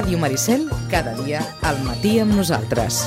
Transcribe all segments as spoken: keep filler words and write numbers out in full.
Ràdio Maricel, cada dia al matí amb nosaltres.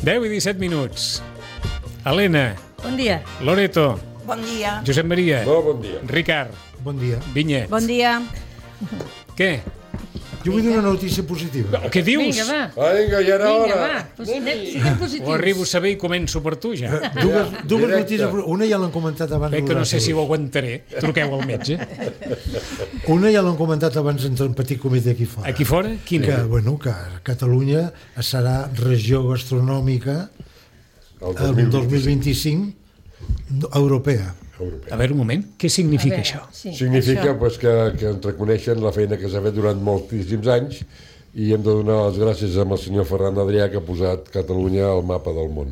deu i disset minuts. Helena. Bon dia. Loreto. Bon dia. Josep Maria. Molt bon dia. Ricard. Bon dia. Vinyet. Bon dia. Què? Jo vull dir una notícia positiva. Què dius? Vinga, va. Vinga, ja era Vinga, hora. va. Pues, siguem positius. Ho arribo a saber i començo per tu, ja. Dues, dues Directe. notícies. Una ja l'han comentat abans. Veig que no sé si ho aguantaré. Truqueu al metge. Una ja l'han comentat abans entre un petit comitè aquí fora. Aquí fora? Quina? Que, bueno, que Catalunya serà regió gastronòmica el dos mil vint-i-cinc europea. A veure, un moment. Què significa veure, això? Sí, Significa això. pues, que, que ens reconeixen la feina que s'ha fet durant moltíssims anys i hem de donar les gràcies amb el senyor Ferran Adrià, que ha posat Catalunya al mapa del món.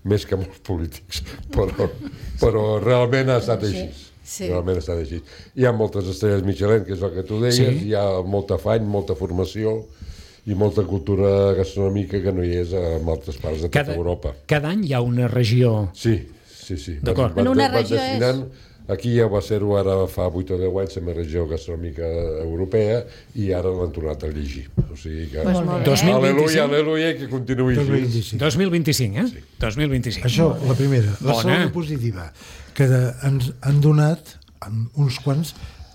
Més que molts polítics, però, però realment ha estat així. Sí. Realment ha estat així. Hi ha moltes estrelles Michelin, que és el que tu deies, Sí. hi ha molta afany, molta formació i molta cultura gastronòmica que no hi és en altres parts de tota Europa. Cada any hi ha una regió... Sí, sí, sí. D'acord. Van, En una van regió destinant, aquí ja va ser-ho ara fa vuit o deu anys, la regió gastronòmica europea, i ara l'han tornat a llegir. O sigui que... Pues molt bé. dos mil Aleluia, vint-i-cinc. aleluia, que continuï dos mil així. vint-i-cinc. dos mil vint-i-cinc, eh? Sí. dos mil vint-i-cinc. Això, la primera. La Bona. segona positiva, que de, ens han donat uns quants,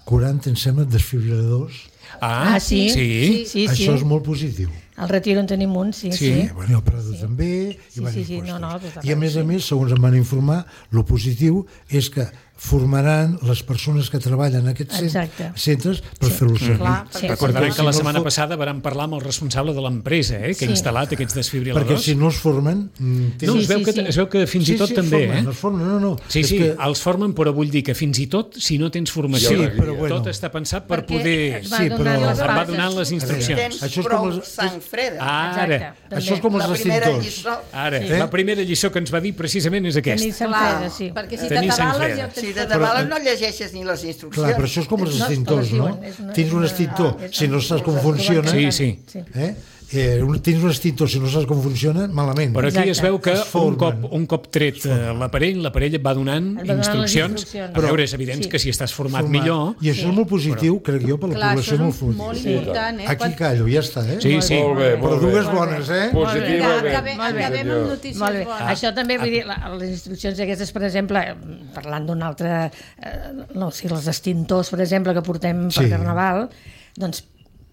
quaranta, em sembla, desfibriladors. Ah, Ah, sí? Sí. Sí, sí. Això és molt positiu. Al Retiro en tenim un, sí, Sí. sí. Eh, bueno, i el Prado sí. també. I, Sí, diversos sí, sí, no, no, puestos. pues, I a més a més, segons em van informar, lo positiu és que formaran les persones que treballen en aquests Exacte. centres per Sí. fer-los servir. Clar, sí. Recordaran Perquè que la si no setmana fo- passada vam parlar amb el responsable de l'empresa, eh, que ha Sí. instal·lat aquests Perquè desfibriladors. si no es formen... mm, No, tenen- es veu, Sí, que, sí, sí. es veu que fins i tot sí, també, es formen, eh? es formen, no, no. Sí, és sí, que, els formen, però vull dir que fins i tot, si no tens formació, Sí, però bueno. tot està pensat per Perquè poder... et va Sí, donar però- les Et va bases. donant les instruccions. Tens Això és prou com els- sang freda. Ara, Exacte, això és com els la primera extintors. lliçó. ara, Sí. la primera lliçó que ens va dir precisament és Tenir aquesta. sang Clar, freda, sí. Perquè si Tenir sang t'atabales freda. ja ho tens Si tot. de tabales no llegeixes ni les instruccions. clar, però això és com els No, extintors, te les no? diuen, és una- Tens un una- extintor, és si no una- saps com una- funciona, Sí, sí. eh? Eh, un, tens un extintor, si no saps com funciona, malament. Però aquí Exacte. es veu que Es un formen. cop, un cop tret eh, l'aparell, l'aparell et va donant Et va donant les instruccions. instruccions. A veure, és evident Sí. que si estàs format Format. millor... I això és molt positiu, crec jo, per la Clar, població això molt és positiu. molt Sí. important, eh? Aquí Quan- callo, ja està, eh? Sí, sí. Molt bé, Però molt bé. dues bones, eh? Positivament. Vinga, acabem, Sí, acabem senyor. amb notícies Molt bé. bones. Això també, vull dir, la, les instruccions aquestes, per exemple, eh, parlant d'un altre, eh, no, o sigui, els extintors, per exemple, que portem per Sí. Carnaval, doncs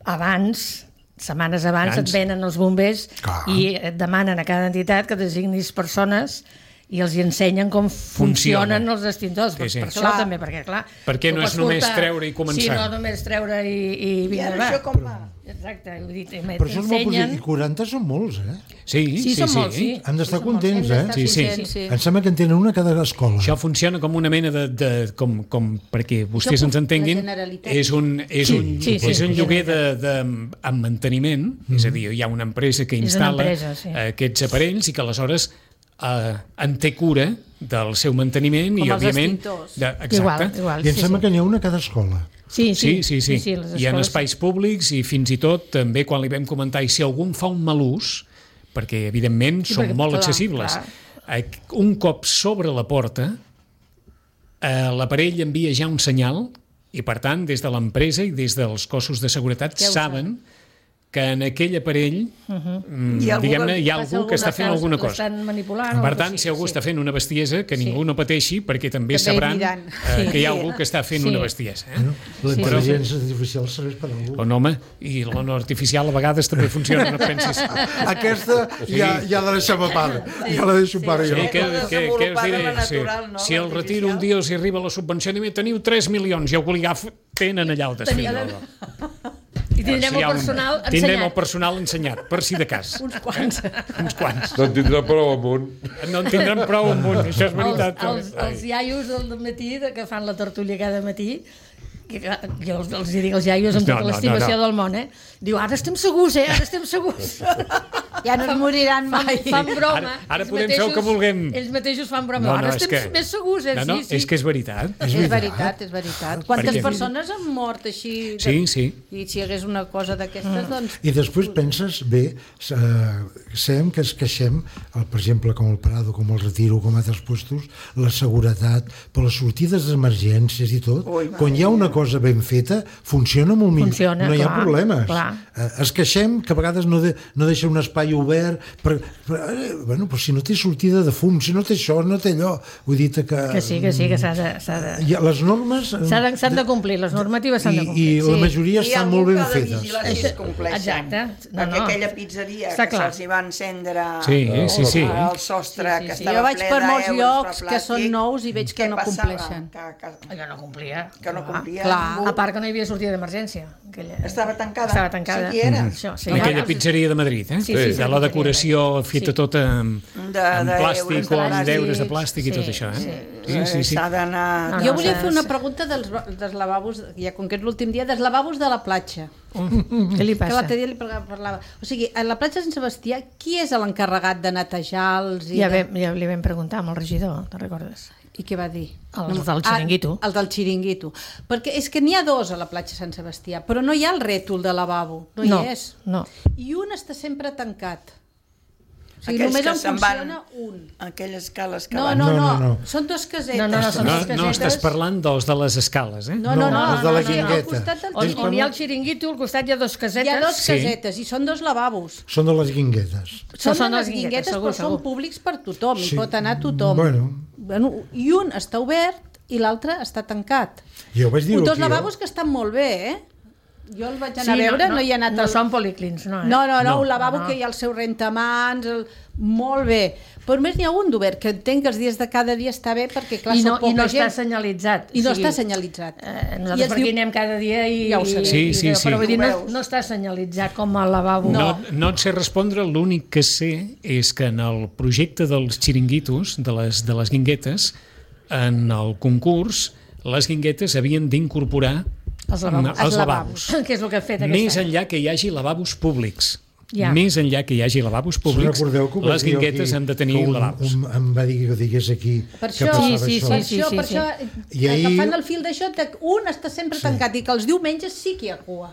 abans, setmanes abans, Abans. et venen els bombers Clar. i et demanen a cada entitat que designis persones i els hi ensenyen com funcionen Funciona. els extintors. Sí, Per, sí. per això Clar. també, perquè clar... Perquè tu no és pots només portar- treure i començar. Sí, no només treure i, i I vinga, ara va. això com va? Exacte, vull dir, Però això és molt positiu. I quaranta són molts, eh? Sí, Sí, sí, són sí. molts, sí. Han d'estar Sí, són molts. contents, Hem eh? d'estar Sí, sí. contents, sí. Em sembla que en tenen una a cada escola. Això funciona com una mena de... de com, com, perquè vostès Això ens entenguin, la Generalitat. és un, és Sí, un, sí, sí, és un sí. lloguer de, de, amb manteniment, és a dir, hi ha una empresa que una instal·la empresa, sí. aquests aparells i que aleshores eh, en té cura del seu manteniment Com i, els òbviament... extintors. De, exacte. Igual, igual. I em sí, sembla sí. que n'hi ha una a cada escola. Sí, Sí, sí, sí. sí, les I en escoles- espais públics i fins i tot també quan li vam comentar i si algú en fa un mal ús, perquè evidentment Sí, són perquè, molt clar, accessibles, clar. eh, un cop sobre la porta eh, l'aparell envia ja un senyal i per tant des de l'empresa i des dels cossos de seguretat Ja ho saben que en aquell aparell mm, Hi ha algú diguem-ne que hi ha Passa algú que està fent alguna cosa. L'estan manipulant. o Per algo tant, així, si algú sí. està fent una bestiesa, que Sí. ningú no pateixi, perquè també, També sabran diran. eh, Sí. que hi ha algú que està fent Sí. una bestiesa. Eh? No? La Sí, intel·ligència artificial serveix per a algú. O no, home, i la no artificial a vegades també funciona, no et pensis. Aquesta ja, ja la deixem a part. Ja la deixo a part Sí, jo. que, que, que us Desenvolupada diré, la sí. natural, no? Si el retiro un L'artificial. dia els hi arriba la subvenció, diu, teniu tres milions, i algú li agafa, tenen allà el desfibrilador. I tindrem Si hi el ha un- personal Tindrem el ensenyat. personal ensenyat, per si de cas. Uns quants. Uns quants. No en tindrà prou amunt. No en tindran prou amunt, això és Els, veritat. els, els iaios del matí, de- que fan la tertúlia cada matí, que, jo els, els dic als iaios amb No, tota no, l'estimació no, no. del món, eh? Diu, ara estem segurs, eh? Ara estem segurs. Ja no es moriran Fan, mai. fan broma. Ara- ara Ells podem fer el que vulguem. Ells mateixos fan broma. No, no, ara és estem que- més segurs, eh? No, no, sí, sí. és que és veritat. És veritat, és veritat. Quantes Perquè- persones han mort així? De... Sí, sí. I si hi hagués una cosa d'aquestes, doncs... I després penses, bé, eh, sabem que es queixem, el, per exemple, com el Prado, com el Retiro, com altres puestos, la seguretat, però les sortides d'emergències i tot, Ui, quan hi ha una cosa ben feta, funciona molt millor. Funciona, no hi ha clar, problemes. clar. Eh, es queixem que a vegades no, de, no deixa un espai obert, per, per, eh, bueno, però si no té sortida de fum, si no té això, no té allò. Vull dir que... Que sí, que sí, que s'ha de... S'ha de... Hi ha, les normes... S'ha de, s'han de complir, les normatives s'han de I, complir. i la majoria I estan algú molt ben que ha de fetes. vigilar si es compleixen. Exacte. No, Perquè no. aquella pizzeria Està que clar. se'ls hi va encendre Sí, sí, sí. el sostre Sí, sí, que sí. estava Jo vaig ple per molts d'euros llocs per que són plàstic, nous i veig que què no passava? compleixen. Que, que, Allò no complia. que no complia clar. ningú. A part que no hi havia sortida d'emergència. Aquella... Estava tancada. Estava tancada. Sí que era. Això, sí. En aquella Ja- pizzeria de Madrid, eh? Sí, sí, sí, de la sí. decoració feta Sí. tota amb, De- amb de plàstic euros o de amb plàstic. deures de plàstic i tot Sí, això, eh? sí. Sí, sí, sí. S'ha d'anar... No, Jo no, volia sí, fer una sí. pregunta dels, dels lavabos, ja com que és l'últim dia, dels lavabos de la platja. Què li Que passa? l'altre dia li parlava. O sigui, a la platja de Sant Sebastià, qui és l'encarregat de netejar-los? I, Ja, de... vam, ja li vam preguntar amb el regidor, te'n recordes? I què va dir? Els del xiringuito. Ah, el del xiringuito. Perquè és que n'hi ha dos a la platja Sant Sebastià, però no hi ha el rètol de lavabo, no, No, hi és. no. I un està sempre tancat. O sigui, Aquells només que en se'n funciona van, un. aquelles escales que No, van... no, No, no, no, no. són dos casetes. No, no, no, són No, dos no casetes. estàs parlant dels de les escales, eh? No, no, no, No, els de la sí, al guingueta. costat del On, xiringuito. on hi ha el xiringuito, al costat hi ha dos casetes. Hi ha dos Sí. casetes i són dos lavabos. Són de les guinguetes. Són, són de les les guinguetes, guinguetes, segur, però són segur. públics per tothom, Sí. hi pot anar tothom. Bueno. Bueno, I un està obert i l'altre està tancat. Jo vaig dir-ho Dos aquí, lavabos eh? que estan molt bé, eh? Jo el vaig Sí, anar a veure, no, no, hi ha anat... no al- són policlins, no, eh? No, no, no, No. un lavabo No, no. que hi ha el seu rentamans, el... molt bé. Però a més n'hi ha un d'obert, que entenc que els dies de cada dia està bé perquè, clar, I no, són poca i no gent. està senyalitzat. I no O sigui, està senyalitzat. Eh, I nosaltres es per aquí diu- anem cada dia i... Ja ho sabem. Sí, sí, i, sí. Però vull dir, Ho no, veus. no està senyalitzat com a lavabo. No, no et sé respondre, l'únic que sé és que en el projecte dels xiringuitos, de les, de les guinguetes, en el concurs, les guinguetes havien d'incorporar Els lavabos. els lavabos. Que és el que ha fet Més aquest any. enllà que hi hagi lavabos públics. Ja. Més enllà que hi hagi lavabos públics, Recordeu que ho vaig les dir guinguetes aquí, han de tenir que un, lavabos. Un, em va dir que ho digués aquí Per que això, passava Sí, sí, això. Per sí, això, sí, per sí. això, I ahir- agafant el fil d'això, de- un està sempre tancat i que els diumenges sí que hi ha cua.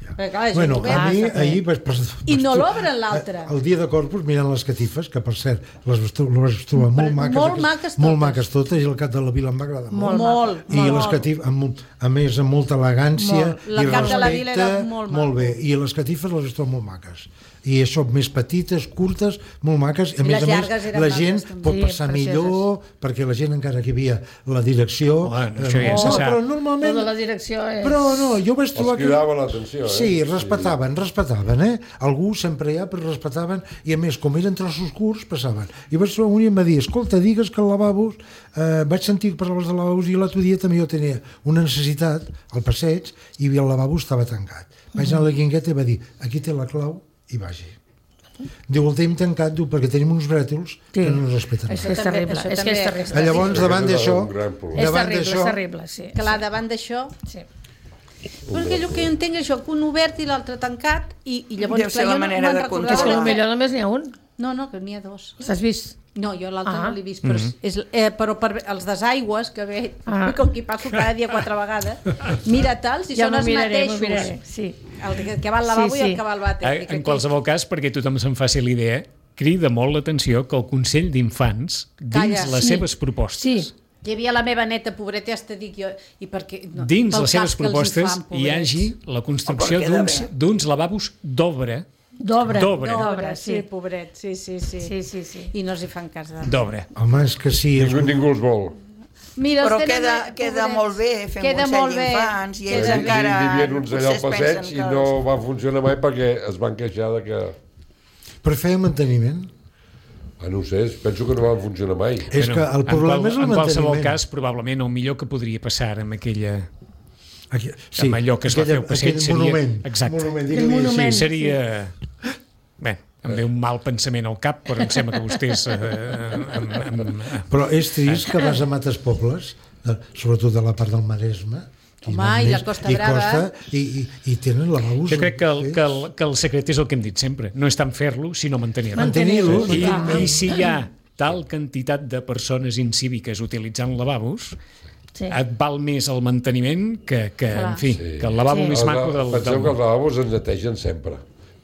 Perquè, clar, la gent Bueno, ho veu. a mi està bé. ahir vaig, vaig, I no vaig- l'obren l'altre. El dia de Corpus mirant les catifes, que per cert les vaig tro- les vaig trobar molt maques, molt aquestes- maques molt totes. maques totes, i el cap de la vila em va agradar molt. Molt, molt, I molt. les catifes, amb, molt- a més, amb molta elegància Molt. La i cap de la vila era respecte, molt molt maco. bé. I les catifes les trobo molt maques. I això, més petites, curtes, molt maques. A I més les a més, llargues eren la maques, gent també. pot Sí, passar precioses. millor, perquè la gent, encara que hi havia la direcció... Bueno, això ja no, se sap. però Lo normalment... de la direcció és... Però no, jo vaig trobar Els cridava l'atenció, eh? Sí, respectaven, respectaven, eh? Algú sempre hi ha, però respectaven, i a més, com eren trossos curts, passaven. I vaig trobar un i em va dir, escolta, digues que el lavabos, eh, vaig sentir que parlaves de lavabos, i l'altre dia també jo tenia una necessitat al passeig, i el lavabo estava tancat. Vaig anar a la guingueta i va dir, aquí té la clau, i vagi. Diu, el tenim tancat, diu, perquè tenim uns brètols que no ens respecten. És, res. és terrible, Això és que és també- terrible. Ah, Llavors, davant Aquest és d'això, un gran problema. És davant terrible, és d'això, terrible, sí. Clar, davant d'això... Sí. Perquè el que jo entenc és això, que un obert i l'altre tancat, i, i llavors... Deu ser clar, la jo no manera me'n de recordava. És que controlar. potser només n'hi ha un. No, no, que n'hi ha dos. L'has vist? No, jo l'altre Ah. no l'he vist, però, és, eh, però per els desaigües, que ve, Ah. com qui passo cada dia quatre vegades, mira tals i Ja són m'ho els miraré, m'ho mateixos. miraré, sí. El que- que va al lavabo Sí, i sí. el que va al vàter. Eh, Dic, En aquí. qualsevol cas, perquè tothom se'n faci l'idea, crida molt l'atenció que el Consell d'Infants, dins Calla, les sí. seves propostes, Sí, Hi havia la meva neta, pobreta, ja t'he dit jo, i perquè, no, dins pel les seves cas que els hi propostes fan, hi hagi pobrets. la construcció Oh, però queda d'uns bé. d'uns lavabos d'obra, d'obra. D'obra. D'obra, sí, sí. pobret, sí, sí, sí. Sí, sí, sí. I no els hi fan cas de... d'obra. home, és que sí, és Ningú, ningú els vol. Mira, els Però tenen, queda, eh, queda pobrets. molt bé fer un Queda Consell molt bé. d'Infants i Queda ells bé. encara... Hi havia uns allà al potser es passeig pensen i que no els- va funcionar mai perquè es van queixar de que... però feia manteniment. Ah, no ho sé, penso que no van funcionar mai. És que el en problema qual- és el En qualsevol manteniment. cas, probablement el millor que podria passar amb aquella... Aquí, amb allò que es va aquella- fer al passeig aquell seria... monument, Exacte. monument, Aquell digue-li així. monument. Seria... Bé, em ve un mal pensament al cap, però em sembla que vostès... Eh, em, em, em, Però és trist que vas a mates pobles, eh, sobretot de la part del Maresme, Home, Quina i la més- Costa i Brava. Costa, i, i, i tenen lavabos. Jo crec que el, sí. que, el, que el secret és el que hem dit sempre. No és tant fer-lo, sinó mantenir-lo. Mantenir-lo. I, mantenir-lo. I si hi ha tal quantitat de persones incíviques utilitzant lavabos, Sí. et val més el manteniment que, que Clar. en fi, Sí. que el lavabo Sí. més Els- maco del, Penseu del que els lavabos ens netegen sempre,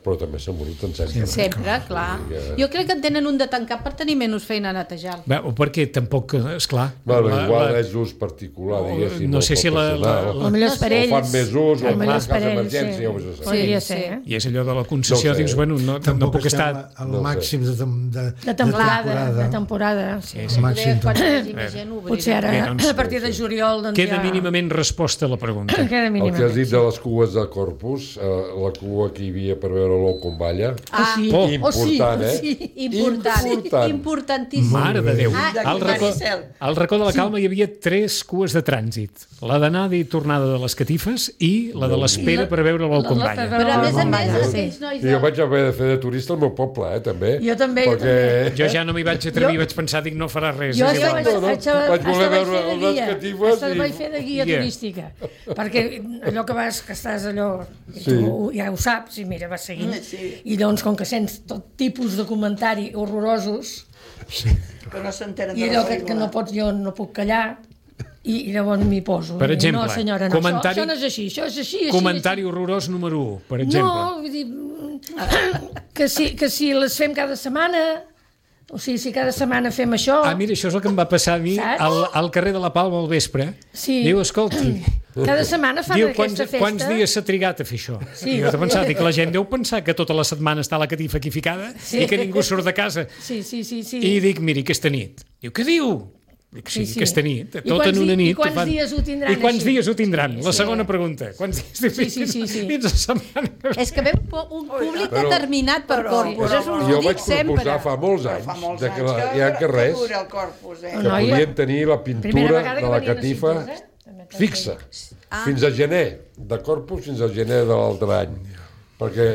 però també s'embruten sempre. Sempre, clar. Jo crec que en tenen un de tancat per tenir menys feina a netejar. Bé, o perquè tampoc, esclar... Bueno, la- igual la- és ús particular, O, diguéssim. no o sé si la- personal, la- O millor és per o ells. fan més ús, o El en millor cas és per ells, d'emergència, sí. ho has de saber. Podria Sí, ser. sí. I és allò de la concessió, No ho sé. dius, bueno, no, no Tampoc puc estem estar... al No ho sé. màxim de, tem- de, De temporada, temporada. de temporada. Sí. Sí, sí. Al màxim. Quan hi de- hagi més gent, obrirem. Potser ara, Bé, doncs, a partir de juliol, doncs Queda ja... mínimament resposta a la pregunta. Queda El mínimament. que has dit de les cues de Corpus, eh, la cua que hi havia per veure l'ou com balla, Ah, sí. Oh. important, eh? sí. important, Important. importantíssim. Mare de Déu. Ah, Al racó, Maricel. al racó de la Calma hi havia tres cues de trànsit. La d'anada i tornada de les catifes i la de l'espera per veure l'ou com la- la- balla. Però a més a Ah, més, vaja, aquells sí. nois I de... jo vaig haver de fer de turista al meu poble, eh, també. Jo també, jo Perquè... Jo ja no m'hi vaig atrevir, vaig pensar, dic, no farà res. Jo és ja igual. vaig, no, no. vaig, Vaig vaig voler vaig veure fer de les guia, catifes hasta i- vaig fer de guia Yeah. turística, perquè allò que vas, que estàs allò, i Sí. tu ja ho saps, i mira, vas seguint, Sí. i llavors com que sents tot tipus de comentari horrorosos, Que no s'entenen i de allò la que, que no regla. pots, jo no puc callar, i, i llavors m'hi poso. Per I, exemple, no senyora, no, comentari- això, això no és així, això és així, així. Comentari horrorós número u, per exemple. No, vull dir, que si, que si les fem cada setmana, o sigui, si cada setmana fem això... Ah, mira, això és el que em va passar a mi Saps? al, al carrer de la Palma al vespre. Sí. Diu, escolti, Cada setmana fan diu, aquesta quants, festa. quants dies s'ha trigat a fer això? Sí. I jo he pensat, dic, la gent deu pensar que tota la setmana està la catifa aquí ficada Sí. i que ningú surt de casa. Sí, sí, sí. sí. I dic, miri, aquesta nit. Diu, què diu? Dic, sí, Sí, sí, sí. aquesta nit. I Tot quants en una di- i nit. quants fan- dies ho tindran I quants així? dies ho tindran? Sí, La sí. segona pregunta. Quants dies? Sí, sí, sí, sí. Fins a setmana. És que veu po- un públic Però- determinat per però- corpus. però- Això us Jo ho vaig dic sempre. proposar fa molts Però anys fa molts de que anys la, que, hi ha carrers que dura el corpus, eh? que Noia. podien tenir la Primera pintura vegada que de la venien a catifa Sitges, eh? També t'ho fixa, Ah. fins a gener, de Corpus fins a gener de l'altre any, perquè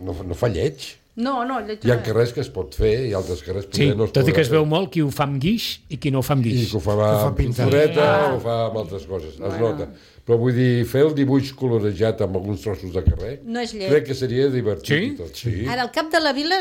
no, no fa lleig. No, no, lleig Hi ha no és. carrers que es pot fer i altres carrers Sí, poder no es tot i que es podrà veu fer. molt qui ho fa amb guix i qui no ho fa amb I guix. que ho fa, fa amb pintar. pintureta o ho fa amb altres coses, es nota. Però vull dir, fer el dibuix colorejat amb alguns trossos de carrer, No és lleig. crec que seria divertit Sí? i tot. Sí. Ara, el cap de la vila,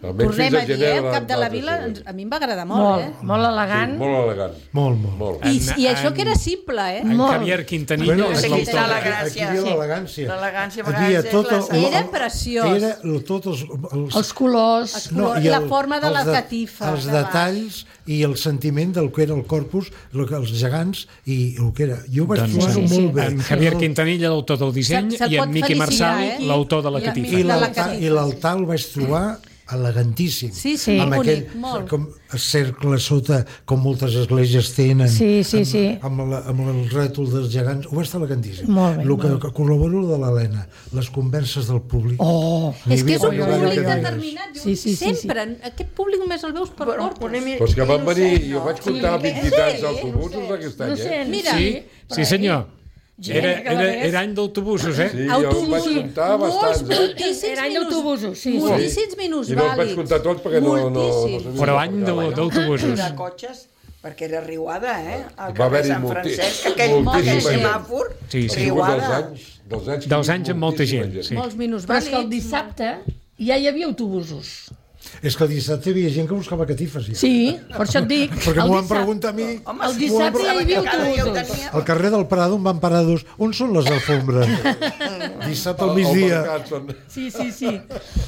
Almenys tornem fins a a dir, gener eh? de El cap de la l'altre vila, segle. ens- a mi em va agradar molt, Molt, eh? molt elegant. Sí, molt elegant. Molt, molt. Molt. I, En- I això en- que era simple, eh? En Molt. Javier Quintanilla Bueno, és aquí l'autor. està la aquí, gràcia. aquí hi ha l'elegància. L'elegància a Aquí vegades hi ha és tot la el- salut. Era preciós. Era el, tot els, els, Els colors. no, i la forma de els la catifa, Els de baix. detalls i el sentiment del que era el corpus, el que, els gegants i el que era. Jo vaig Doncs, trobar-ho sí, sí. molt bé. En Javier Quintanilla, l'autor del disseny, Se'l- se'l i pot en Miqui felicitar, Marçal, eh? l'autor de la I- catifa. i- I de la l'altar catifa, i l'altar el vaig trobar elegantíssim. Sí, sí, amb bonic, aquell, molt. com el cercle sota, com moltes esglésies tenen. Sí, sí, sí. Amb, amb, la, amb el rètol dels gegants. Ho va estar elegantíssim. Molt bé, el que, molt que col·laboro de l'Helena, les converses del públic. Oh! És que és un Oi, oi, oi, públic oi, oi. determinat. Sí, sí, sí, Sempre. Aquest públic només el veus per Però, corpus. una mi- Però és que van venir, innocent, jo no? vaig comptar Sí, vint i tants sí, autobusos d'aquest any, No eh? sé, Mira. Sí, sí senyor. Era, era, era any d'autobusos, eh? Sí, jo Autobusos. vaig comptar bastants, eh? moltíssims Era any minuts. d'autobusos, sí, sí. Moltíssims minuts I no els vaig vàlids. comptar tots perquè no... no, no Moltíssims. sabia Però com any pagava, d'au- no? d'autobusos. de cotxes, perquè era riuada, eh? Al Va carrer haver-hi Sant molti- Francesc, aquell, moltíssima aquell gent. semàfor, Sí, sí. Ha sigut dels riuada. anys, dels anys, que Dels hi ha anys amb molta moltíssima gent, sí. Molts minuts Però és que el vàlids. dissabte ja hi havia autobusos. És que el dissabte hi havia gent que buscava catifes. Ja. Sí, per això et dic. Perquè el m'ho van dissabte- preguntar a mi. Home, El sí, dissabte ja hi havia cada dia ho autobusos. tenia. Al carrer del Prado em van parar dos. On són les alfombres? Dissabte al migdia. mercat són- Sí, sí, sí.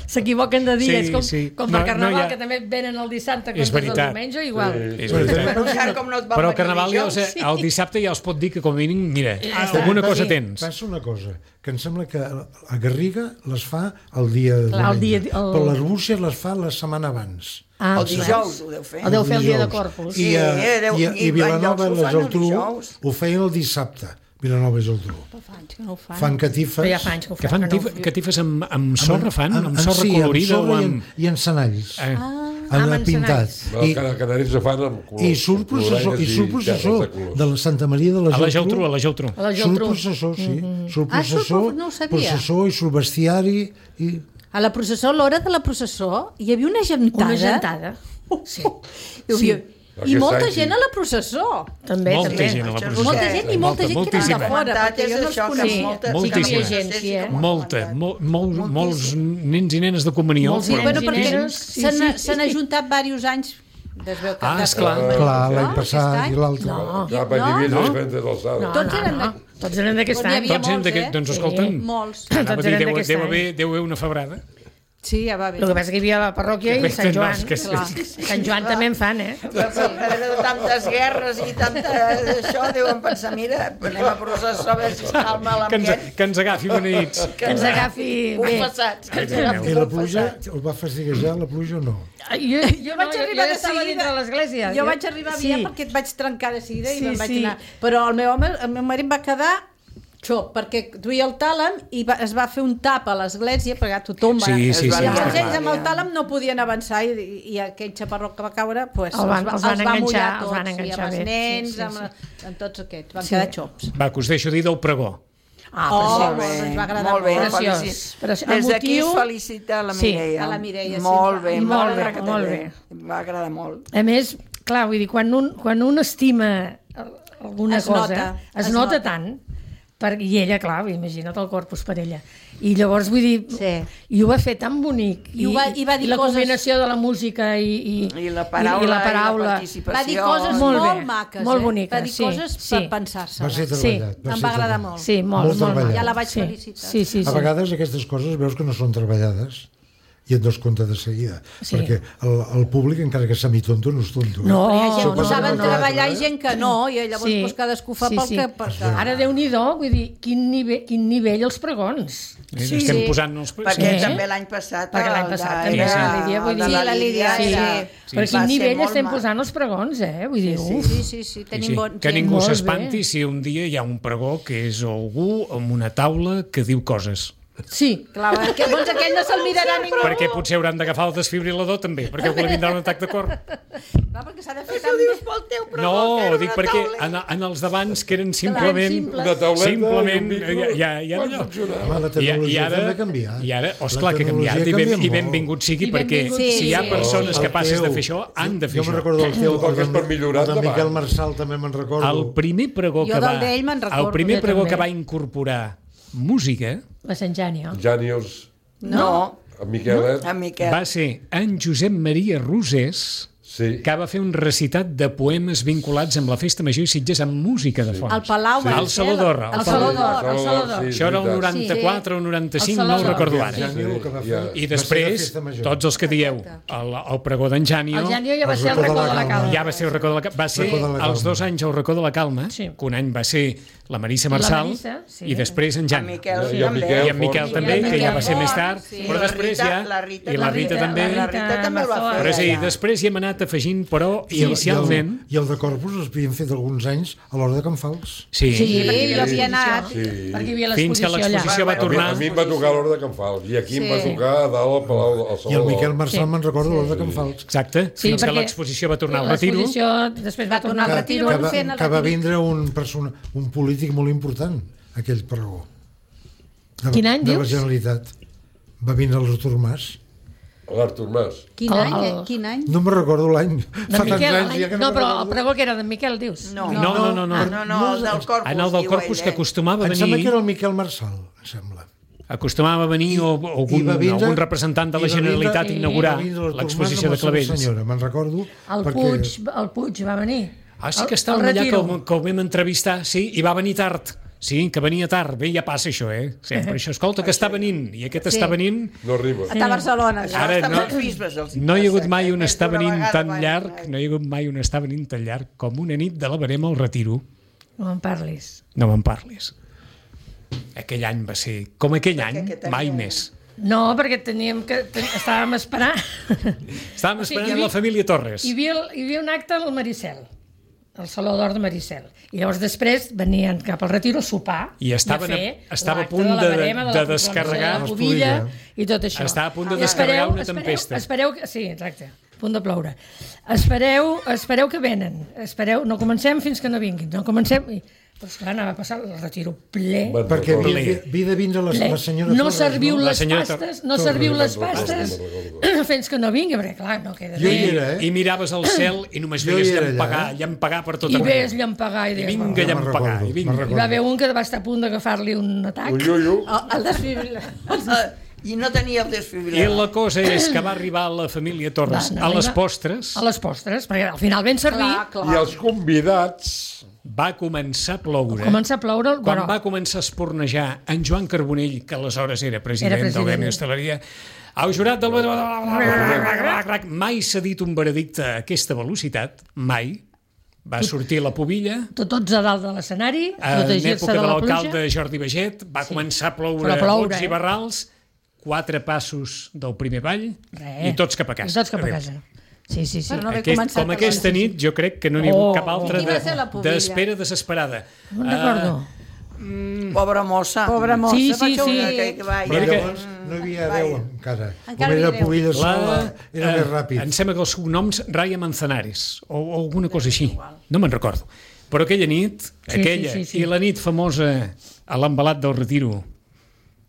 S'equivoquen de dies, Sí, com, sí. com No, per Carnaval, no hi ha- que també venen el dissabte, que És és el veritat. diumenge, igual. És Bueno, veritat. Però encara com no et van Però el venir Carnaval ja, dijous, o sigui, el dissabte ja els pot dir que com a mínim, mira, està. alguna cosa Sí. tens. Passa una cosa, que em sembla que a Garriga les fa el dia de Clar, el dia- el- però l'Arbúcies les fa la setmana abans. Ah, El dijous ho deu fer. El deu fer el dia de dijous. Corpus. I, a, Sí, deu- i, a, i i Vilanova van i llocs ho la fan el Geltrú dijous. ho feien el dissabte. Vilanova i Geltrú. Fa anys que no ho fan. Fan catifes. Però ja fa anys que ho Que fan no. catif- catifes amb, amb sorra, fan? Amb, amb- sorra sí, colorida amb sorra o i amb... en, i en senalls. Eh, amb amb el pintat. encenalls. No, I, cada canaris ho fan amb colors. i surt amb processó, i colorines surt processó terres de colors. de la Santa Maria de la a la Geltrú. Geltrú, a la Geltrú. A la Surt Geltrú. processó, sí. Mm-hmm. Surt Ah, surt processó, pro- no ho sabia. processó i surt bestiari. I... A la processó, a l'hora de la processó, hi havia una gentada. Una gentada. Sí. Hi havia... I molta any, sí. gent a la processó. També, Molta també. gent a la Això és processó. Molta gent i molta gent que moltíssima. ve de fora, perquè jo no els això, que coneixia. molta- Moltíssima. sí que m'ho- Gent, sí, eh? que m'ho han Molta, comentat. mol, mol, molts nens i nenes de comunió. Molts però nens Bueno, i perquè nenes, sí, s'han sí. s'han ajuntat diversos anys. Es veu que Ah, de- esclar. Clar, l'any No, passat aquest i any. l'altre. No. Clar, perquè hi havia No? diferents alçades. No, Tots no, eren no. de- Tots eren d'aquest N'hi any. havia Tots eren molts, d'aquest... eh? Doncs escolta'm, Molts. anava a Tots dir, eren deu, d'aquest deu, any. haver, deu haver una febrada. Sí, ja va bé. El que passa és que hi havia la parròquia i Que Sant no, Joan. és que sí. Clar. Sant Joan també en fan, eh? Però de tantes guerres i tanta això, deuen pensar, mira, anem a processar a veure si es calma Que ens, l'ambient. que ens agafi beneïts. Que ens agafi bé. Confessats, que ens Ai, agafi I la confessats. pluja, us va fastiguejar la pluja o no? Jo, jo, vaig no, arribar jo de estava seguida. dintre l'església. Jo vaig arribar Sí. aviat perquè et vaig trencar de seguida i Sí, me'n vaig sí. anar. Però el meu home, el meu marit va quedar xop, perquè duia el tàlam i va, es va fer un tap a l'església perquè tothom va... Sí, sí, I sí, llavors està ells clar. amb el tàlam no podien avançar i, i aquell xaparró que va caure pues, El van- va- els van va enganxar, mullar els tots, van i enganxar amb els bé. nens, Sí, sí, amb, sí. amb tots aquests, van Sí. quedar xops. Va, que us deixo dir del pregó. Ah, Oh, preciós. Molt bé, ens va agradar molt bé, molt. Preciós. felici- Preciós. Des d'aquí es Emotiu. felicita la Sí, Mireia. a la Mireia, sí. Molt bé, I molt molt bé, bé, molt bé. Em va agradar molt. A més, clar, vull dir, quan un, quan un estima alguna Es cosa, nota, es, es nota, nota. tant, per, i ella, clar, imagina't el corpus per ella. I llavors, vull dir, Sí. i ho va fer tan bonic. I ho va- i va dir la coses- combinació de la música i, i, I la paraula, i, la i la paraula. participació. Va dir coses Molt molt, bé, maques, molt eh? boniques, Va dir sí, coses sí. per pensar-se. Va ser Sí. treballat. Em ser va agradar treballat. molt. Sí, molt, Molt molt, molt. treballat. Ja la vaig sí. felicitar. Sí, sí, sí. A vegades aquestes coses veus que no són treballades i et dones compte de seguida. Sí. Perquè el, el públic, encara que semi-tonto, no és tonto. eh? No, Hi ha gent no, que no, saben no, treballar no. i gent que no, i llavors Sí, pues, cadascú fa sí, pel sí. que... Perquè... Ara, Déu-n'hi-do, vull dir, quin nivell, quin nivell els pregons. Eh? Sí, Estem sí. posant els... Perquè Sí. també l'any passat... Perquè l'any el passat de- també, era- sí, la Lídia, vull el de dir- la Sí, la Lídia, Lídia sí. era- Sí. Per va quin ser nivell molt estem maco. posant els pregons, eh? Vull dir, Sí, uf. sí, sí, sí, Sí, tenim sí. bon... Que gent. ningú Molt s'espanti bé. si un dia hi ha un pregó que és algú amb una taula que diu coses. Sí, Clar, que, doncs aquell no se'l mirarà ningú. Perquè potser hauran d'agafar el desfibrilador també, perquè algú li vindrà un atac de cor. Clar, perquè s'ha de fer Això tan dius bé. pel teu pregó, No, que era dic una perquè taula. en, en els d'abans que eren simplement... simples. Una tauleta Simplement, i un micro. ja, ja, ja, Pot allò. funcionar. Home, la I, i tecnologia ara, també ha canviat. i ara, La osclar que ha tecnologia canviat i, ben, canvia i molt. benvingut sigui I perquè benvingut sigui. si hi ha Sí. persones El capaces teu- de fer això, han de fer jo me'n això. recordo el teu, Tot el que és per millorar, el de endavant. Miquel Marçal també me'n recordo. El primer pregó Jo que va... del d'ell me'n recordo, el primer jo pregó també. que va incorporar música la Sant Jània. Jànius, No, en Miquelet, en Miquel. va ser en Josep Maria Rosés, sí. que va fer un recitat de poemes vinculats amb la Festa Major i Sitges amb música de fons. Al Palau... Sí. va Al ser Saló la- d'Or, Al al Saló Sí, d'Or. al Saló d'Or. sí, Això era el veritat. noranta-quatre o noranta-cinc, El no ho Saló recordo d'Or. ara. Jànio, el que va fer, Ja. I va ser la després, festa major. tots els que dieu, el, el pregó d'en Jànio, El Jànio ja va El ser el racó racó de de la la calma. ja va ser el racó de la Calma. Va ser Racó de la Calma. els dos anys el racó de la Calma, Sí. que un any va ser la Marissa I la Marçal Marissa, sí. i després en En Jànio. Miquel, I sí, en també. Miquel. I en Miquel Font. també, I en que ja va Miquel ser més Font, tard, sí. però La després Rita- ja... la Rita I la també. Rita també. La Rita també el va fer. Però sí, allà. després hi hem anat afegint, però I el- inicialment... I el, i el de Corpus els havien fet alguns anys a l'hora de Can Fals. Sí, Sí, Sí, perquè hi jo havia havia anat. Sí. Perquè hi havia fins que l'exposició allà. l'exposició va Va, va, A mi, tornar... a mi em va tocar a l'hora de Can Fals i aquí em va Sí. tocar a dalt al Palau al Saló I el d'Or. Miquel Marçal Sí. me'n recordo a l'hora de Can Fals. Exacte, Sí, fins que perquè l'exposició va tornar al retiro. L'exposició després va tornar al al Que, retiro. que, van va, fent el que va retiro. vindre un, persona, un polític molt important, aquell pregó. De, Quin any, de la dius? Generalitat. Va vindre l'Artur Mas. L'Artur Mas. Quin El- any? el- eh? Quin any? No me'n recordo l'any. De Fa tants Miquel, anys ja que no, no, però me'n el recordo. pregó que era d'en Miquel, dius? No. No, no, no, no. Ah, no, no, el del Corpus, En el del diu Corpus, ell, que eh? acostumava a Em sembla que venir... era el Miquel Marçal, em sembla. Acostumava a venir o, o algun, I va vindre- algun representant de la i va vindre- Generalitat a i- inaugurar Va vindre l'Artur Mas l'exposició amb de la seva Clavells. Senyora, me'n recordo. El perquè- Puig, el Puig va venir. Ah, sí El- que estava el allà que retiro. el, que el vam entrevistar, sí, i va venir tard. Sí, que venia tard. Bé, ja passa això, eh? Sempre això. Escolta, que està venint, i aquest Sí. està venint... No arriba. Està a Barcelona. Això Ara està no- amb els bisbes, els No hi ha hagut passa, mai eh? un Més estar d'una venint vegada tan van- llarg, no hi ha hagut mai un estar venint tan llarg com una nit de la verema al retiro. No en parlis. No me'n parlis. Aquell any va ser... Com aquell any, aquest any mai era- més. No, perquè teníem que... ten- estàvem esperant... Estàvem O sigui, esperant hi havia- la família Torres. Hi havia, hi havia un acte al Maricel, al Saló d'Or de Maricel. I llavors després venien cap al retiro a sopar I estaven a a- fer estava a l'acte punt la de- verema, de la descarregar proclamació de la pubilla i tot això. Estava a punt de I descarregar espereu- una espereu- tempesta. Espereu, que- sí, exacte, a punt de ploure. Espereu, espereu que venen. Espereu, no comencem fins que no vinguin. No comencem... i Però esclar, anava a passar el retiro ple. Me'n Perquè recordo. havia, havia de vindre la, ple. la senyora No Torres, serviu no? La les senyora pastes, Tor- no serviu les Torres, pastes me'n recordo. fins que no vingui, perquè clar, no queda Jo bé. hi era, eh? I miraves al cel i només Jo hi veies era llampagar, allà, eh? llampagar per tot I arreu. ves llampagar i I deies, vinga "Bueno". me'n llampagar, recordo, i vinga. me'n Hi va haver un que va estar a punt d'agafar-li un atac. Un iuiu. El, el desfibrilador. I no tenia el I desfibrilador. la cosa és que va arribar la família Torres Va, a les arriba- postres, A les postres, perquè al final ben servir, Clar, clar. I els convidats... va començar a ploure. comença a ploure... Quan Bueno, va començar a espornejar en Joan Carbonell, que aleshores era president, Era president. del Gremi d'Hostaleria, el jurat del... Mai s'ha dit un veredicte a aquesta velocitat, mai. Va sortir la pubilla, tot- tots a dalt de l'escenari, en protegir-se època de de la l'alcalde pluja. Jordi Baget, va començar a ploure, Però ploure, bots eh? i barrals, quatre passos del primer ball Res. i tots cap a casa. I tots cap a Adéu. casa. Sí, sí, sí. Però no haver Aquest, començat com a aquesta veure. nit, jo crec que no n'hi ha hagut Oh, cap altra I qui va ser la pubilla? d'espera desesperada. No me'n recordo. Pobra mossa. Pobra mossa, Sí, per sí, això ho sí. dic. Que, que va, Però Mira que- llavors no hi havia Vai. veu encara. Encara Com era hi havia pubilla La, sola, era eh, més ràpid. Em sembla que els cognoms Raya Manzanares o, o alguna cosa així, no me'n recordo. Però aquella nit, Sí, aquella, sí, sí, sí. i la nit famosa a l'embalat del Retiro,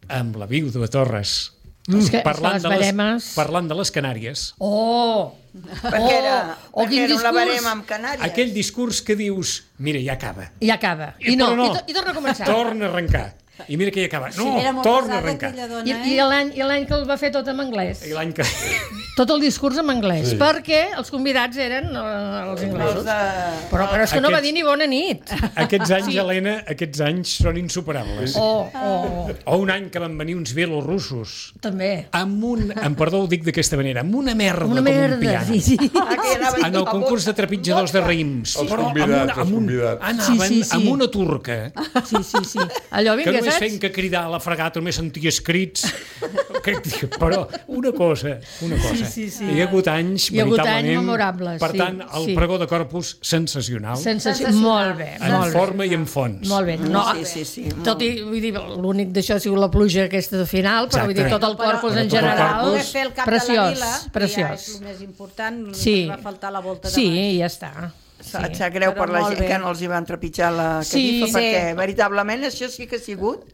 amb la viuda de Torres, És que, parlant, és que de les les, baremes... parlant de les Canàries, Oh! perquè era, Oh, perquè quin era una discurs. barema amb Canàries. aquell discurs que dius, mira, ja acaba. I acaba. I, I no, però no. I, to, i torna a començar. Torna a arrencar. I mira que ja acaba. No, Era molt torna a pesada arrencar. aquella dona, I, i eh? l'any i l'any que el va fer tot en anglès. I l'any que... Tot el discurs en anglès. Sí. Perquè els convidats eren eh, els inglesos. Els de... Però, però és que no va Aquests- dir ni bona nit. Aquests anys, Helena, aquests anys són insuperables. Oh, oh, O un any que van venir uns bielorussos també. amb un, en perdó ho dic d'aquesta manera, amb una merda Una com un merda, piano. sí, sí. Aquí anava En el concurs de trepitjadors de raïms. Els Però convidats, amb una, els amb un, convidats. anaven Sí, sí, sí. amb una turca Sí, sí, sí. Allò, que vinga, només saps? feien que cridar a la fregata, només senties crits. Que, però una cosa, una cosa. Sí, sí, sí. Hi ha hagut anys, Hi ha hagut veritablement, anys memorables, per sí, tant, el sí. pregó de Corpus, sensacional, Sensació. Sensacional. Molt bé, en molt bé. forma i en fons. Molt bé. No, Sí, sí, sí. tot i, vull dir, l'únic d'això ha sigut la pluja aquesta de final, però vull dir, Exacte. tot el corpus en tot el general, corpus. Poder fer el cap preciós, de la vila, que ja preciós. és el més important, només Sí. va faltar la volta de Sí, baix. ja està. Sap Sí. sap greu Però per la molt gent bé. que no els hi van trepitjar la Sí, catifa, sí. perquè veritablement això sí que ha sigut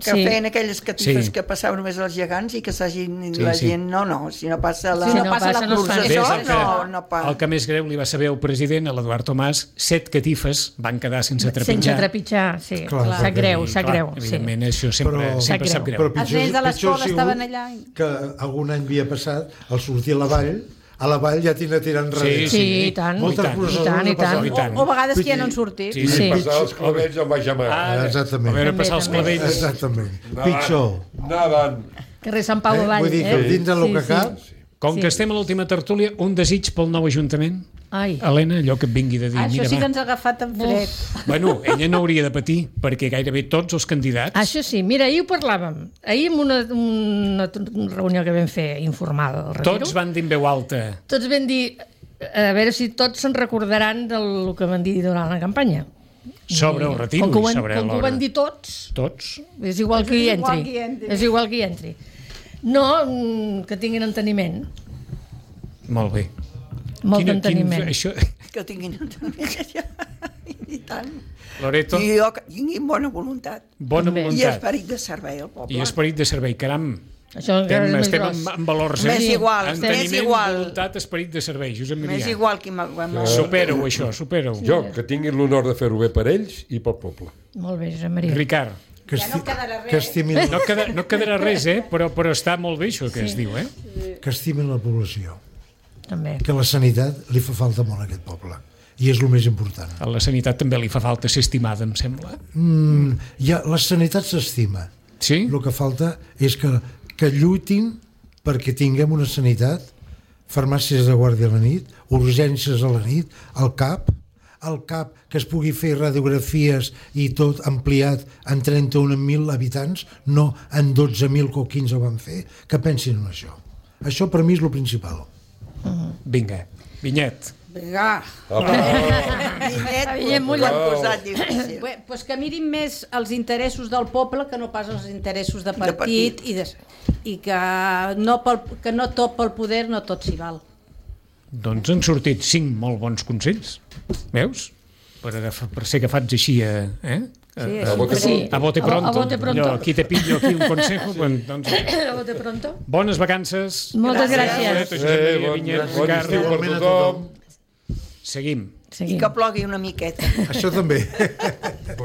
que Sí. feien aquelles catifes Sí. que passaven només als gegants i que s'hagin Sí, la sí. gent, no, no, si no passa la, Si no passa, no es fa. pluja, Ves, això el, que, no, no passa. el que més greu li va saber el president, a l'Eduard Tomàs, set catifes van quedar sense trepitjar. Sense trepitjar, sí. Clar, Sap greu, I, sap clar, greu. Sí. Evidentment, això sempre, Però- sempre Sap sap greu. greu. Però Els nens de pitjor ha l'escola sigut estaven allà. que algun any havia passat, al sortir a la vall, a la vall ja tira tirant Sí, enrere. Sí, i tant. Moltes I tant. processons I tant, i no passaven. I tant. O, o a vegades que ja no han sortit. Sí, I Sí. passar els clavells amb baix mar. Ah, Exactament. A veure, També, passar els també. clavells. Exactament. Pitjor. Nadant. Carrer Sant Pau Eh? avall. Vull dir que eh? dins del Sí, que sí. cap, Com Sí. que estem a l'última tertúlia, un desig pel nou Ajuntament? Ai. Helena, allò que et vingui de dir. Això mira, sí va. que ens ha agafat en fred. Bueno, ella no hauria de patir, perquè gairebé tots els candidats... Això sí, mira, ahir ho parlàvem. Ahir en una, una, una reunió que vam fer informada del Retiro, Tots van dir en veu alta. tots vam dir, a veure si tots se'n recordaran del que van dir durant la campanya. Sobre el retiro com que ho i van, sobre com que ho l'hora. van dir tots, Tots. és igual que hi És igual entri. que hi entri. És igual que hi entri. No, mm, que tinguin enteniment. Molt bé. Molt Quina- d'enteniment. Quin, això... Que tinguin i tant. Loreto, I jo que tinguin bona voluntat. bona També. I voluntat. esperit de servei al poble. I esperit de servei. Caram, Això encara estem, és més estem gros. en, en valors. Més eh? igual, Enteniment, més igual. voluntat, esperit de servei. Josep M'és Mirià. igual qui m'ha... Supera-ho, això, supera-ho. Jo, que tinguin l'honor de fer-ho bé per ells i pel poble. Molt bé, Josep Maria. Ricard, que, Ja no esti quedarà res. que, estimin, no, queda, no quedarà res, eh? Però, però està molt bé això que es diu, eh? que estimin la població. També. Que la sanitat li fa falta molt a aquest poble. I és el més important. A la sanitat també li fa falta ser estimada, em sembla. Mm, ja, la sanitat s'estima. Sí? El que falta és que, que lluitin perquè tinguem una sanitat, farmàcies de guàrdia a la nit, urgències a la nit, al CAP, al CAP que es pugui fer radiografies i tot ampliat en trenta-un mil habitants, no en dotze mil que o quinze van fer, que pensin en això. Això per mi és el principal. Vinga, Vinyet. Vinga. Vinyet, Vinyet m'ho mullat. han posat difícil. Bé, doncs que mirin més els interessos del poble que no pas els interessos de partit, partit. i, de, i que, no pel, que no tot pel poder, no tot s'hi val. Doncs han sortit cinc molt bons consells. Veus? per, agafar, per ser agafats així a... Eh? Sí, A bote sí. A bote pronto. A bote pronto. Allò, aquí te pillo aquí un consejo. Quan, doncs, A bote pronto. bones vacances. Moltes gràcies. Josep Maria Eh, bon, Vinyet, bon Ricardo. estiu per Igualment a tothom. tothom. Seguim. I Seguim. que plogui una miqueta. Això també.